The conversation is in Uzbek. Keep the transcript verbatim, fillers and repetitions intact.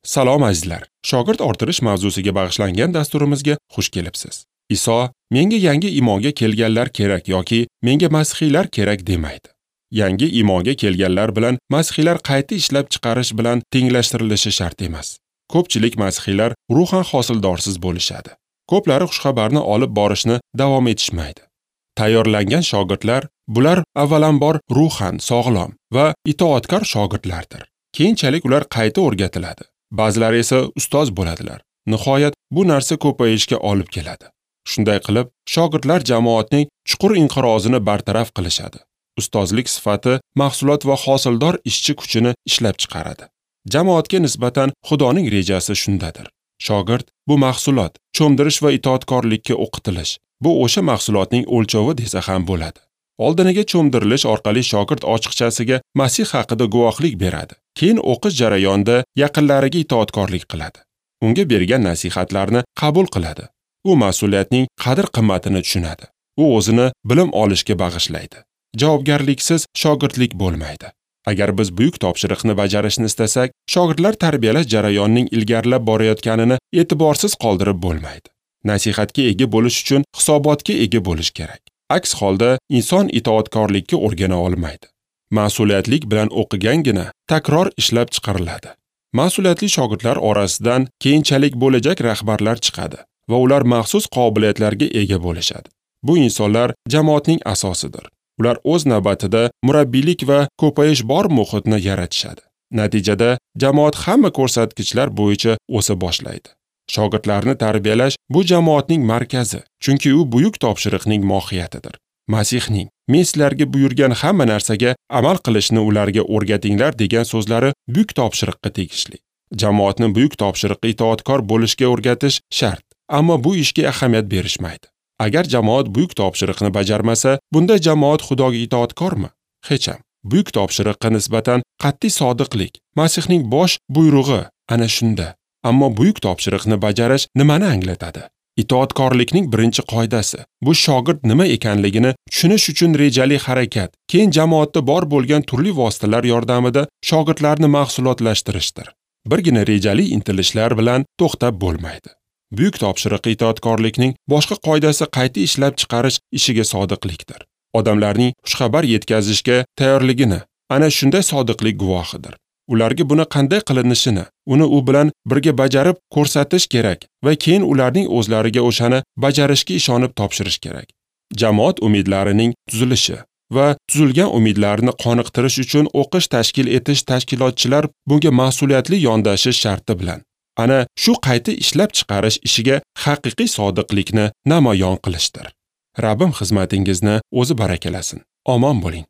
Salom azizlar. Shogird orttirish mavzusiga bag'ishlangan dasturimizga xush kelibsiz. Iso menga yangi iymonga kelganlar kerak yoki menga masihiylar kerak demaydi. Yangi iymonga kelganlar bilan masihiylar qayta ishlab chiqarish bilan tenglashtirilishi shart emas. Ko'pchilik masihiylar ruhan hosildorsiz bo'lishadi. Ko'plari xushxabarni olib borishni davom etishmaydi. Tayyorlangan shogirdlar bular avvalambor ruhan sog'lom va itoatkor shogirdlardir. Keyinchalik ular qayta o'rgatiladi. Ba'zilari esa ustoz bo'ladilar. Nihoyat bu narsa ko'payishga olib keladi. Shunday qilib, shogirdlar jamoatning chuqur inqirozini bartaraf qilishadi. Ustozlik sifati mahsulot va hosildor ishchi kuchini ishlab chiqaradi. Jamoatga nisbatan Xudoning rejasi shundadir. Shogird bu mahsulot, cho'mdirish va itoatkorlikka o'qitilish. Bu o'sha mahsulotning o'lchovi desa ham bo'ladi. Oldiniga cho'mdirilish orqali shogird ochiqchasiga Masih haqida guvohlik beradi. Keyin o'qish jarayonida yaqinlariga itoatkorlik qiladi. Unga bergan nasihatlarni qabul qiladi. U mas'uliyatning qadr-qimmatini tushunadi. U o'zini bilim olishga bag'ishlaydi. Javobgarliksiz shogirdlik bo'lmaydi. Agar biz buyuk topshiriqni bajarishni istasak, shogirdlar tarbiyalash jarayonining ilgarilab borayotganini e'tiborsiz qoldirib bo'lmaydi. Nasihatga ega bo'lish uchun hisobotga ega bo'lish kerak. Aks holda inson itoatkorlikka o'rgana olmaydi. Mas'uliyatlik bilan o'qigangina takror ishlab chiqariladi. Mas'uliyatli shogirdlar orasidan keyinchalik bo'lajak rahbarlar chiqadi va ular maxsus qobiliyatlarga ega bo'lishadi. Bu insonlar jamoatning asosidir. Ular o'z navbatida murabbiylik va ko'payish bor muhitni yaratishadi. Natijada jamoat hamma ko'rsatkichlar bo'yicha o'sa boshlaydi. Shogirdlarni tarbiyalash bu jamoatning markazi, chunki u buyuk topshiriqning mohiyatidir. Masihning "Men sizlarga buyurgan hamma narsaga amal qilishni ularga o'rgatinglar" degan so'zlari buyuk topshiriqqa tegishli. Jamoatni buyuk topshiriqqa itoatkor bo'lishga o'rgatish shart, ammo bu ishga ahamiyat berishmaydi. Agar jamoat buyuk topshiriqni bajarmasa, bunda jamoat Xudoga itoatkormi? Hech ham. Buyuk topshiriqqa nisbatan qat'iy sodiqlik Masihning bosh buyrug'i ana shunda. Ammo buyuk topshiriqni bajarish nimani anglatadi? Itoatkorlikning birinchi qoidasi bu shogird nima ekanligini tushunish uchun rejali harakat, keyin jamoatda bor bo'lgan turli vositalar yordamida shogirdlarni mahsulotlashtirishdir. Birgina rejali intilishlar bilan to'xtab bo'lmaydi. Buyuk topshiriqqa itoatkorlikning boshqa qoidasi qayta ishlab chiqarish ishiga sodiqlikdir. Odamlarning xushxabar yetkazishga tayyorligini ana shunday sodiqlik guvohidir. Ularga buni qanday qilinishini, uni u bilan birga bajarib ko'rsatish kerak va keyin ularning o'zlariga o'shani bajarishga ishonib topshirish kerak. Jamoat umidlarining tuzilishi va tuzilgan umidlarni qoniqtirish uchun o'qish tashkil etish tashkilotchilar bunga mas'uliyatli yondashish sharti bilan ana shu qayta ishlab chiqarish ishiga haqiqiy sodiqlikni namoyon qilishdir. Rabbim xizmatingizni o'zi barakalasin. Omon bo'ling.